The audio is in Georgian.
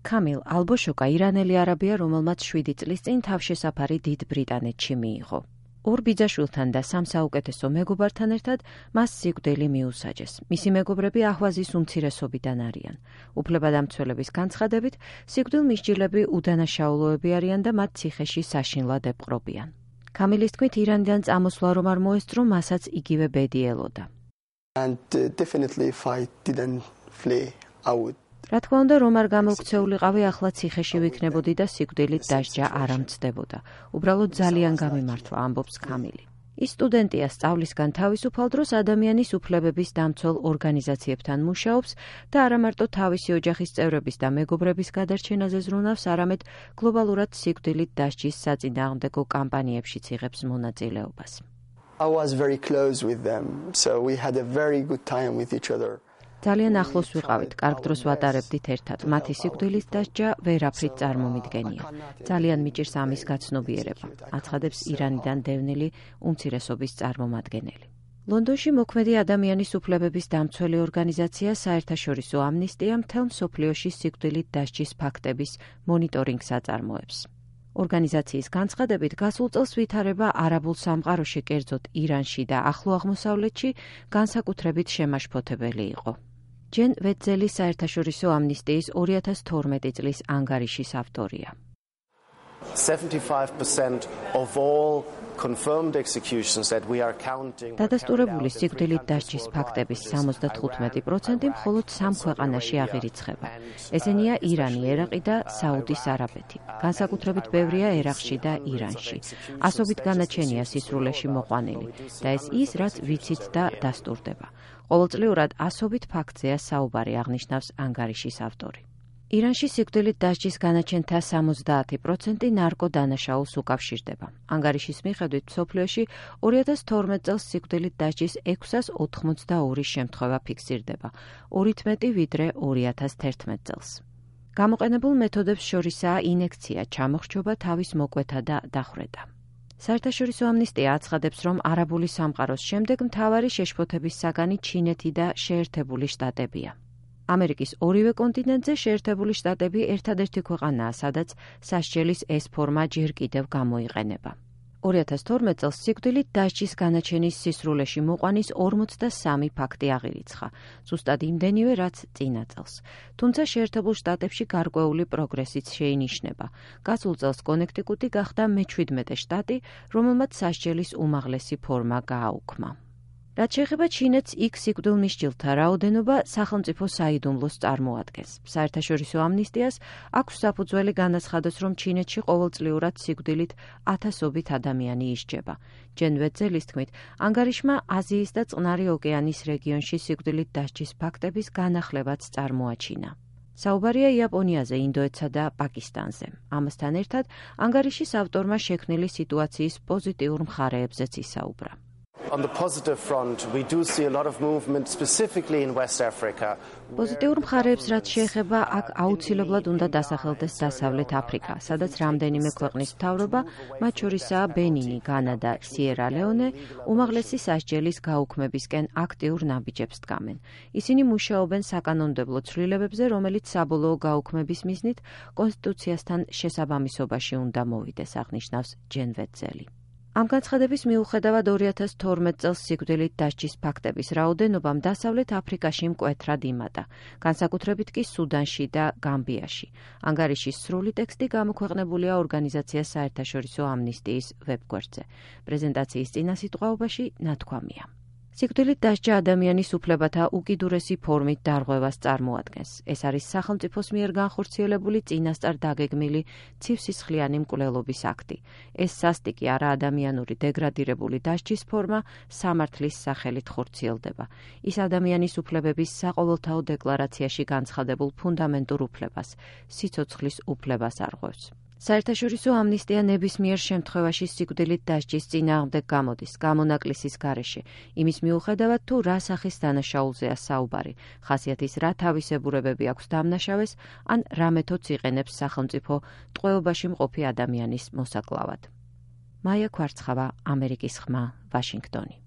Kamil Alboshokა ირანელი არაბია, რომელმაც 7 წლის წინ თავშესაფარი დიდ ბრიტანეთში მიიღო. ორ ბიძაშვილთან და 3 საუკეთესო მეგობართან ერთად მას სიკვდილი მიუსაჯეს. მისი მეგობრები აჰვაზის უმცირესობიდან არიან. უფლებადამცველების განცხადებით, სიკვდილმისჯილები უდანაშაულოები არიან და მათ ციხეში საშინლად ეპყრობიან. Kamilis თქმით, ირანიდან წამოსვლა რომ არ მოესწრო, მასაც იგივე ბედი ელოდა. And definitely if I didn't flee, I would. რა თქმა უნდა, რომ არ გამოვქცეულიყავი, ახლა ციხეში ვიქნებოდი და სიკვდილით დასჯა არ ამცდებოდა. უბრალოდ ძალიან გამიმართლა, ამბობს Kamili. ის სტუდენტია, სწავლისგან თავისუფალ დროს ადამიანის უფლებების დამცველ ორგანიზაციებთან მუშაობს და არა მარტო თავისი ოჯახის წევრების და მეგობრების გადარჩენაზე ზრუნავს, არამედ გლობალურად სიკვდილით დასჯის საწინააღმდეგო კამპანიებშიც იღებს მონაწილეობას. I was very close with them, so we had a very good time with each other. ძალიან ახლოს ვიყავით, კარგ დროს ვატარებდით ერთად. მათი სიკვდილის დასჯა ვერაფრით წარმომიდგენია. ძალიან მიჭირს ამის გაცნობიერება, აცხადებს ირანიდან დევნილი უმცირესობის წარმომადგენელი. ლონდონში მოქმედი ადამიანის უფლებების დამცველი ორგანიზაცია საერთაშორისო ამნისტია მთელ მსოფლიოში სიკვდილით დასჯის ფაქტების მონიტორინგს აწარმოებს. ორგანიზაციის განცხადებით, გასულ წელს ვითარება არაბულ სამყაროში, კერძოდ ირანში და ახლო აღმოსავლეთში განსაკუთრებით შემაშფოთებელი იყო. ჯენ ვეტზელი საერთაშორისო ამნისტიის 2012 წლის ანგარიშის ავტორია. 75% of all confirmed executions that we are counting. დადასტურებული სიკვდილით დასჯის ფაქტების 75% მხოლოდ 3 ქვეყანაში აღირიცხება. ესენია ირანი, ერაყი და საუდის არაბეთი. განსაკუთრებით ბევრია ერაყში და ირანში. ასობით განაჩენია სისრულეში მოყვანილი და ეს ის, რაც ვიცით და დასტურდება. ყოველწლიურად ასობით ფაქტზეა საუბარი, აღნიშნავს ანგარიშის ავტორი. ირანში სიკვდილით დასჯის განაჩენთა 70% ნარკოდანაშაულს უკავშირდება. ანგარიშის მიხედვით, მსოფლიოში 2012 წელს სიკვდილით დასჯის 682 შემთხვევა ფიქსირდება, 2-ით მეტი ვიდრე 2011 წელს. გამოყენებულ მეთოდებს შორისაა ინექცია, ჩამოხრჩობა, თავის მოკვეთა და დახვრეტა. საერთაშორისო ამნისტია აცხადებს, რომ არაბული სამყაროს შემდეგ მთავარი შეშფოთების საგანი ჩინეთი და შეერთებული შტატებია. ამერიკის ორივე კონტინენტზე შეერთებული შტატები ერთადერთი ქვეყანაა, სადაც სასჯელის ეს ფორმა ჯერ კიდევ გამოიყენება. 2012 წელს სიკვდილით დასჯის განაჩენის სისრულეში მოყვანის 43 ფაქტი აღირიცხა, ზუსტად იმდენივე, რაც წინა წელს. თუმცა შეერთებულ შტატებში გარკვეული პროგრესიც შეინიშნება. გასულ წელს კონექტიკუტი გახდა მე-17 შტატი, რომელმაც სასჯელის უმაღლესი ფორმა გააუქმა. რაც შეეხება ჩინეთს, იქ სიკვდილმისჯილთა რაოდენობა სახელმწიფო საიდუმლოს წარმოადგენს. საერთაშორისო ამნისტიას აქვს საფუძველი განაცხადოს, რომ ჩინეთში ყოველწლიურად სიკვდილით 1000-ობით ადამიანი ისჯება. ჯენ ვეტზელის თქმით, ანგარიშმა აზიის და წყნარი ოკეანის რეგიონში სიკვდილით დასჯის ფაქტების განახლებაც წარმოაჩინა. საუბარია იაპონიაზე, ინდოეთსა და პაკისტანზე. ამასთან ერთად, ანგარიშის ავტორმა შექმნილი სიტუაციის პოზიტიურ მხარეებზეც ისაუბრა. On the positive front, we do see a lot of movement specifically in West Africa. პოზიტიურ მხარეებს რაც შეეხება, აქ აუცილებლად უნდა დასახელდეს დასავლეთ აფრიკა, სადაც რამდენიმე ქვეყნის მთავრობა, მათ შორისაა ბენინი, განა და სიერა-ლეონე, უმაღლესი სასჯელის გაუქმებისკენ აქტიურ ნაბიჯებს დგამენ. ისინი მუშაობენ საკანონმდებლო ცვლილებებზე, რომელიც საბოლოო გაუქმების მიზნით კონსტიტუციასთან შესაბამისობაში უნდა მოვიდეს, აღნიშნავს ჯენ ვეტზელი. ამ განცხადების მიუხედავად 2012 წელს სიკვდილით დასჯის ფაქტების რაოდენობამ დასავლეთ აფრიკაში მკვეთრად იმატა, განსაკუთრებით კი სუდანში და გამბიაში. ანგარიშის სრული ტექსტი გამოქვეყნებულია ორგანიზაცია საერთაშორისო ამნისტიის ვებგვერდზე. პრეზენტაციის წინასიტყვაობაში ნათქვამია. სიკვდილით დასჯა ადამიანის უფლებათა უკიდურესი ფორმით დარღვევას წარმოადგენს. ეს არის სახელმწიფოს მიერ განხორციელებული წინასწარ დაგეგმილი ცივსისხლიანი მკვლელობის აქტი. ეს სასტიკი არა ადამიანური დეგრადირებული დასჯის ფორმა სამართლის სახელით ხორციელდება. ის ადამიანის უფლებების საყოველთაო დეკლარაციაში განცხადებულ ფუნდამენტურ უფლებას, სიცოცხლის უფლებას არღვევს. საერთაშორისო ამნისტია ნებისმიერ შემთხვევაში სიკვდილით დასჯის წინააღმდეგ გამოდის, გამონაკლისის გარეშე, იმის მიუხედავად თუ რა სახის დანაშაულზეა საუბარი, ხასიათის რა თავისებურებები აქვს დამნაშავეს, ან რა მეთოდს იყენებს სახელმწიფო ტყვეობაში მყოფი ადამიანის მოსაკლავად. მაია ქვარცხავა, ამერიკის ხმა, ვაშინგტონი.